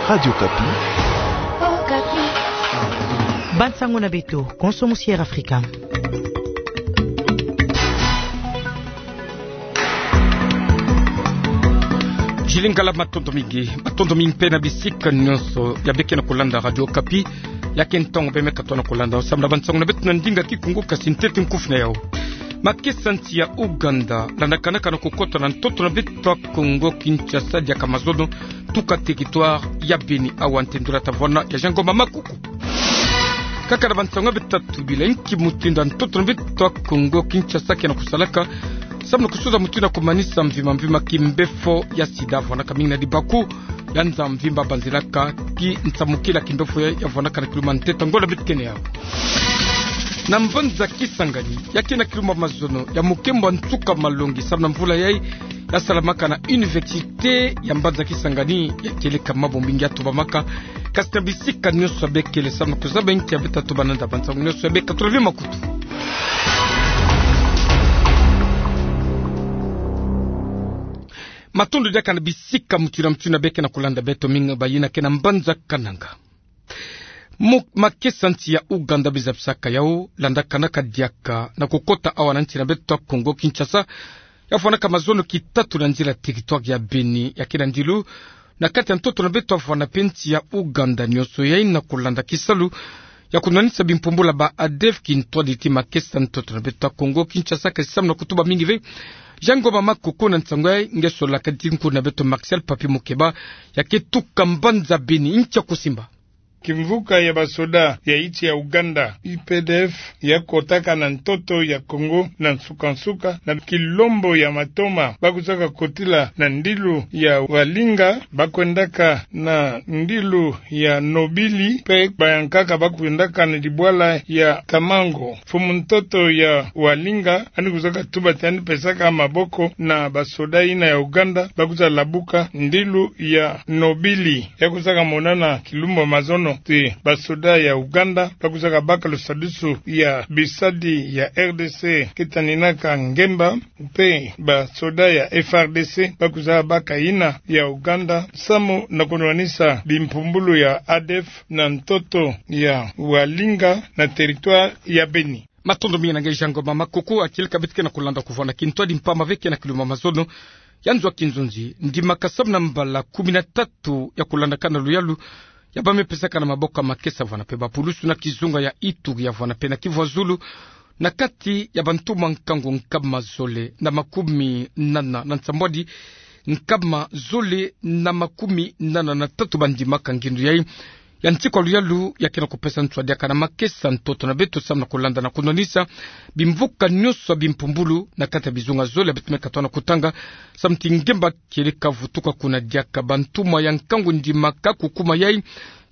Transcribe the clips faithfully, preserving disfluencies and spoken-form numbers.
Radio Okapi. Bansango na beto, konso musier Afrika. Jili ngala, matondo mingi, matondo mingi mpe na bisika nyonso ya beke na kolanda Radio Okapi. Ya ke ntango bemeka tona kolanda samu na bansango na beto na ndinga Kikongo, kasi ntete nkufi na yau. Makesa nsi ya Ouganda landakanaka na kokota na ntoto na beto ya Kongo Kinshasa diaka mazono, tuka territoire ya Beni. Awa ntendula tavona ya Jean Ngoma Makuku. Kaka na bansango ya beto tatu bila, inki mutindu ntoto na beto ya Kongo Kinshasa ke na kosalaka samu na kosoza mutindu ya kumanisa mvimba mvimba kimbefo ya sida, vwanaka mingi na dibaku ya nza mvimba banzilaka ki nsamukila kimbefo ya, ya vwanaka na kiluma ntete. Ngola beto ke na yau. Na mbanza Kisangani, ya ke na kiluma mazono ya mukembo nsuka malongi samu na mvula yai, ya salamaka na université ya mbanza Kisangani, ya kieleka mambu mingi ya tubamaka. Kasi na bisika nyonso ya bekele samu na kuzaba inki ya beta tuba nanda bansango nyonso ya beka tula vi makutu. Matondo diaka na bisika mutindu na mutindu ya beke na kolanda beto, mingi bayina ke na mbanza Kananga. Mu-, makesa nsi ya Ouganda bizabisaka yau, landakanaka diaka na kokota awa na nsi na beto ya Kongo Kinshasa, ya vwanaka mazono kitatu na nzila territoire ya Beni, ya ke na ndilu na kati ya ntoto na beto ya vwana mpe nsi ya Ouganda nyonso yai, na kolanda kisalu ya kunwanisa bimpumbulu ya ba ADF kintwadi ti makesa ntoto na beto ya Kongo Kinshasa. Kasi samu na kutuba mingi ve, Jean Ngoma Makuku, na nsango yai nge solaka ti nkuna beto Martial Papi Mukeba, ya ke tuka mbanza Beni. Inki ya kusimba? Kimvuka ya basoda ya insi ya Ouganda, U P D F, ya kotaka na ntoto ya Kongo na nsuka-nsuka na kilombo ya Matoma. Ba kwizaka kotila na ndilu ya Walinga, ba kwendaka na ndilu ya Nobili, mpe bayankaka ba kwendaka na dibwala ya Kamango. Mfumu ntoto ya Walinga, yandi kwizaka tuba ti yandi pesaka maboko na basoda yina ya Ouganda, ba kwiza labuka ndilu ya Nobili. Ya kwizaka monana kilumbu mazono ti basoda ya Ouganda ba kwizaka baka lusadisu ya bisadi ya R D C ke taninaka ngemba, mpe basoda ya F R D C ba kwizaka baka yina ya Ouganda samu na kunwanisa bimpumbulu ya ADF na ntoto ya Walinga na territoire ya Beni. Matondo mingi na nge Jean Ngoma Makuku. Akili ka beto ke na kolanda kuvana kintwadi mpamba ve ke na kiluma mazono ya nzo ya kinzonzi, ndimaka samu na mbala kumi na tatu ya kolandakana luyalu ya ba me pesaka na maboko ya makesa vana mpe bapulusu na kizunga ya Ituri, ya vana mpe na Kivu ya Zulu, na kati ya bantumwa nkangu nkama zole na makumi nana na nsambwadi, nkama zole na makumi nana na tatu ba ndimaka ngindu yai ya ntikwa luyalu ya ke na kupesa nswa diaka na makesa ntoto na beto samu na kolanda na kunwanisa bimvuka nyonso ya bimpumbulu na kati ya bizunga zole ya beto me katona kutanga, samu ti ngemba kieleka vutuka kuna diaka. Bantumwa ya nkangu ndimaka kukuma yai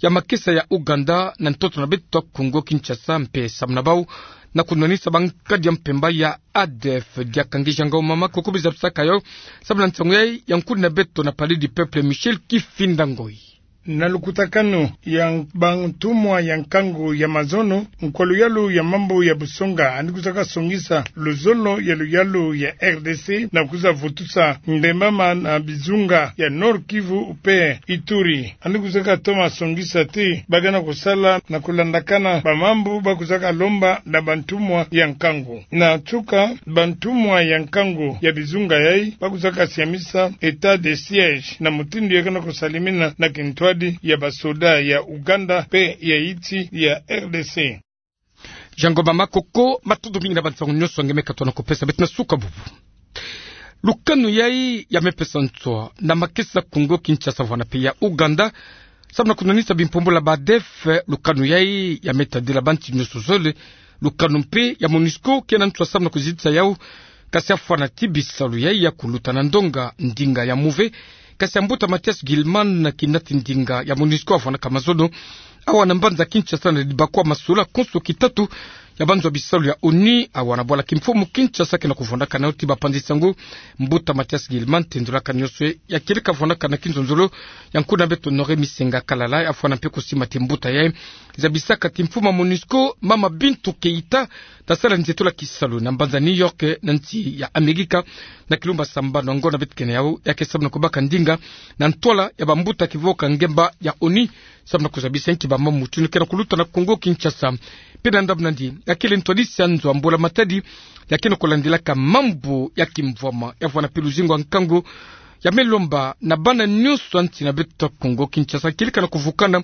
ya makesa ya Ouganda na ntoto na beto ya Kongo Kinshasa, mpe samu na bau na kunwanisa bankadi ya mpemba ya ADF. Diaka nge Jean Ngoma Makuku bizabisaka yau samu na nsangu yai ya nkuna beto na Palais du Peuple, Michel Kifinda Ngoi. Na lukutakanu ya bantumwa ya nkangu ya mazono, nkwa luyalu ya mambu ya busonga yandi kwizaka songisa luzolo ya luyalu ya R D C na kwiza vutusa ndembama na bizunga ya Nord-Kivu mpe Ituri. Yandi kwizaka toma songisa ti ba ke na kusala na kulandakana bamambu ba kwizaka lomba na bantumwa ya nkangu. Na nsuka, bantumwa ya nkangu ya bizunga yai ba kwizaka siamisa état de siège na mutindu ya ke na kusalimina na kintwadi ya basoda ya Ouganda mpe ya insi ya R D C. Jean Ngoma Makuku, matondo mingi na bansangu nyonso nge me katona kupesa beto na suka bubu. Lukanu yai ya me pesa nswa na makesa Kongo Kinshasa vana mpe ya Ouganda samu na kunwanisa bimpumbulu ya ba ADF. Lukanu yai ya me tadila bansi nyonso zole. Lukanu mpe ya MONUSCO ke na nswa samu na kuzitisa yau, kasi ya fwana ti bisalu yai ya kuluta na ndonga ndinga ya MOVE, kasi ya mbuta Mathias Gillman, kinati ndinga ya MONUSCO, avwanaka mazono awa na mbanza Kinshasa na dibakwa masula konso kitatu ya banzo ya bisalu ya ONU, awa na bwala kimfumu Kinshasa, ke na kuvwandaka na yo ti bapanzi-nsangu, mbuta Mathias Guillemin, tendulaka nionso ya kieleka vwandaka na kinzonzolo ya nkuna beto Honoré Misenga Kalala, ya fwana mpe kusimba ti mbuta yayi zabisaka ti mfumu ya MONUSCO, mama Bintou Keita, ta sala nzietolo ya kisalu na mbanza New York, na nsi ya Amerika, na kilumbu ya sambanu. Ngiona beto kena yau, ya ke samu na kubaka ndinga na ntwala ya bambuta kivoka ngemba ya ONU, samu na kuzabisa nki bamamu tunu ke na kuluta na Kongo Kinshasa. Mpe na ndambu nandi, ya kele ntwadisi ya nzo ya mbula matadi, ya ke na kulandilaka mambu ya kimvwama, ya vwanda mpe luzingu ya nkangu, ya me lomba na bana nionso ya nsi na beto Kongo Kinshasa, kieleka na kuvukana,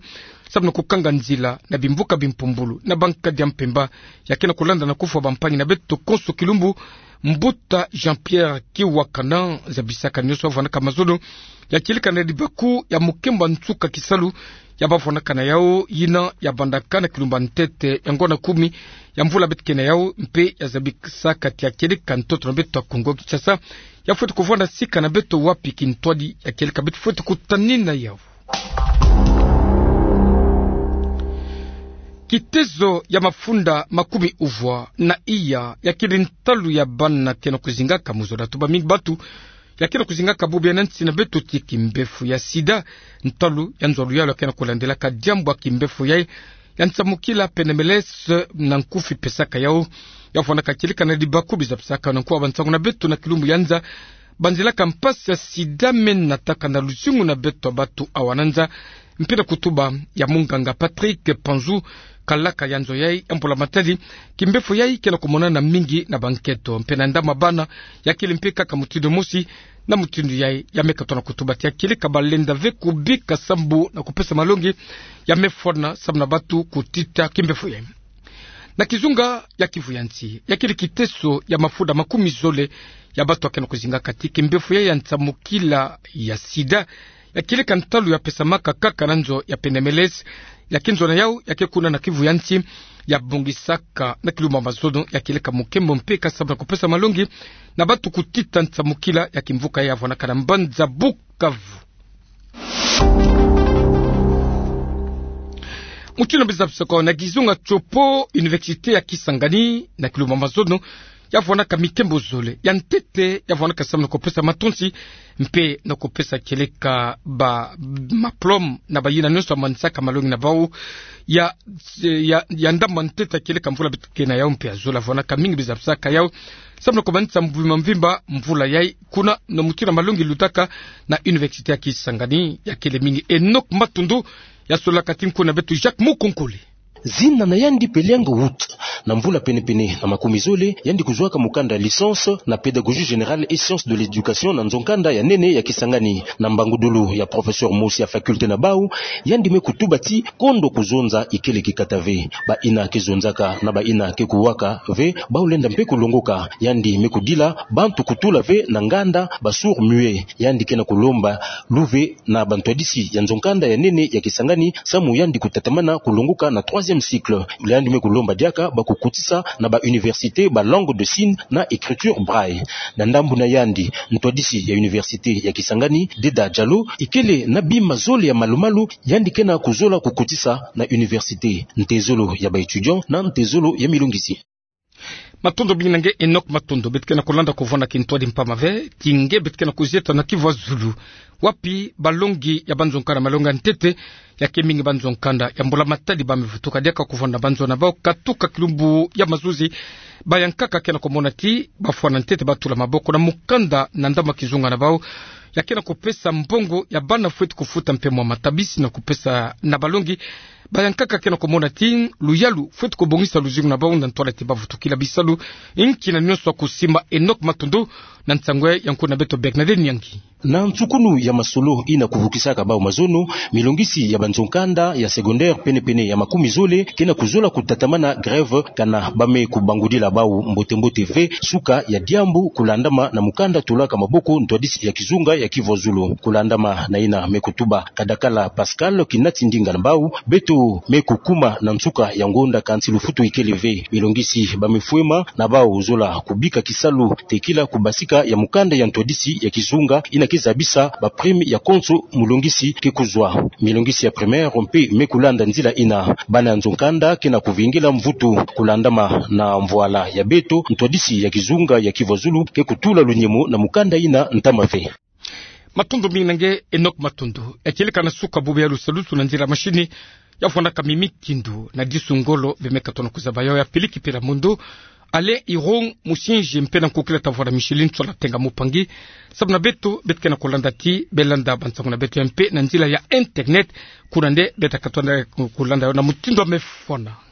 samu na kukanga nzila na bimvuka bimpumbulu na bankadi ya mpemba, ya ke na kulanda na kufwa bampangi na beto konso kilumbu, mbuta Jean-Pierre Kiwakana, zabisaka nionso ya vwandaka mazono, ya kieleka na dibaku ya mukembo ya nsuka kisalu ya bavwandaka na yau, yina ya bandaka na kilumbu ya ntete ya ngiona kumi ya mvula beto kena yau, mpe ya zabisaka ti ya kieleka ntoto na beto Kongo Kinshasa, ya fweti kuvwanda sika na beto wapi kintwadi ya kieleka beto fweti kutanina yau. Kitezo ya mafunda makumi uvwa na iya ya kele ntalu ya bana ke na kuzingaka mu zola. Tuba mingi batu ya ke na kuzingaka bubu ya na nsi na beto ti kimbefo ya sida. Ntalu ya nzo ya luyalu ya ke na kulandilaka diambu ya kimbefo yayi ya nsamukila, pene M L S na nkufi pesaka yau, ya vwandaka kieleka na dibaku bizabisaka na nkuwa bansangu na beto na kilumbu ya nza, banzilaka mpasi ya sida me nataka na luzingu na beto batu awa na nza, mpe na kutuba ya munganga Patrick Panzu, kalaka ya nzo yayi ya mbula matadi, kimbefo yayi ke na kumonana mingi na bankento. Mpe na ndambu ya bana, ya kele mpe kaka mutindu mosi, na mutindu yayi ya me katuka na kutuba ti ya kieleka balenda ve kubika sambu na kupesa malongi ya me fwana samu na batu kutita kimbefo yayi. Na kizunga ya Kivu ya nsi, ya kele kiteso ya mafunda makumi zole ya batu ya ke na kuzingaka ti kimbefo yayi ya nsamukila ya sida, ya kieleka ntalu ya pesamaka kaka na nzo ya pene M L S, ya ke nzo na yau ya ke kuna na Kivu ya nsi, ya bongisaka na kilumbu ya mazono ya kieleka mukembo mpe ka samu na kupesa malongi na batu kutita nsamukila ya kimvuka ya vwandaka na mbanza Bukavu. Mutindu bizabisaka na kizunga tsopo, Université ya Kisangani, na kilumbu ya mazono, ya vwandaka mikembo zole. Ya ntete, ya vwandaka samu na kupesa matonsi, mpe na kupesa kieleka ba maplome na bayina nionso ya manisaka malongi na bau. Ya, ya, ya ndambu ya ntete ya kieleka mvula beto kena yau mpe ya zola, vwandaka mingi bizabisaka yau samu na kumanisa mvimba mvimba mvula yayi kuna, na mutindu ya malongi lutaka na Université ya Kisangani. Ya kele mingi Enoch Matundu, ya solaka ti nkuna beto Jacques Mukonkole. Zina na yandi Peliang Wout. Na mvula pene-pene na makumi zole, yandi kuzwaka mukanda licence na pédagogie générale et sciences de l'éducation na nzo-nkanda ya nene ya Kisangani. Na mbangudulu ya professeur mosi ya faculté na bau, yandi me kutuba ti kondo kuzonza ikele kikata ve. Bayina ke zonzaka na bayina ke kuwaka ve, bau lenda mpe kulongoka. Yandi me kudila bantu kutula ve na nganda ba sourds-muets. Yandi ke na kulomba luve na bantwadisi ya nzo-nkanda ya nene ya Kisangani, samu yandi kutatamana kulongoka na troisième cycle. Yandi me kulomba diaka ba kukotisa na ba université ba langue de signe na écriture braille. Na ndambu na yandi, ntwadisi ya université ya Kisangani, Deda Diallo, ikele na bima zole ya malu-malu yandi ke na kuzola kukotisa na université: ntezolo ya ba étudiants na ntezolo ya milongisi. Matondo mingi na nge Enoch Matondo. Beto ke na kulanda kuvwanda kintwadi mpamba ve ti nge beto ke na kuzieta na Kivu ya zulu, wapi balongi ya banzo-nkanda, malongi ya ntete, ya ke mingi banzo-nkanda ya mbula matadi ba me vutuka diaka kuvwanda na banzo na bau katuka kilumbu ya mazuzi. Bayankaka ke na kumona ti ba fwana ntete ba tula maboko na mukanda na ndambu ya kizunga na bau, ya ke na kupesa mbongo ya bana fweti kufuta mpe mwa matabisi na kupesa na balongi. Bayankaka ke na kumona ti luyalu fweti kubongisa luzingu na bau na ntwala ti ba vutukila bisalu. Nki na nionso ya kusimba Enoch Matondo na nsangu ya nkuna beto Bernadette Nyangi. Na nsukunu ya masolo yina kuvukisaka bau mazono, milongisi ya banzo-nkanda ya secondaire pene-pene ya makumi zole ke na kuzola kutatamana grève, kana ba me kubangudila bau mbote-mbote ve suka ya diambu, kulandama na mukanda tulaka maboko ntwadisi ya kizunga ya Kivu ya zulu. Kulandama na yina me kutuba Kadakala Pascal, kinati ndinga na bau, beto me kukuma na nsuka ya ngonda kansi lufutu ikele ve. Milongisi ba me fwema na bau zola kubika kisalu tekila kubasika ya mukanda ya ntwadisi ya kizunga yina ke zabisa ba prime ya konso mulongisi ke kuzwa. Milongisi ya primaire mpe me kulanda nzila ina. Bana ya nzo nkanda ke na kuvingila mvutu kulandama na mvwala ya beto. Ntwadisi ya kizunga ya Kivu ya Zulu ke kutula lunyemo na mukanda ina ntama ve. Matundu mingi na nge Enoch Matundu. Ekilika na suka bubu ya lusalusu na nzila mashini ya vwanaka mimi kindu na disu ngolo bemeka tona kuzaba yo ya piliki pila mundu. Alain Irong Musinji mpe na nkukila tavwara Micheline Tsola Tenga Mupangi. Sababu na beto, beto ke na kulanda ti, belanda bansangu na beto ya mpe na nzila ya internet. Kuna nde beto ka tona kulanda yo na mutindu wa mefona.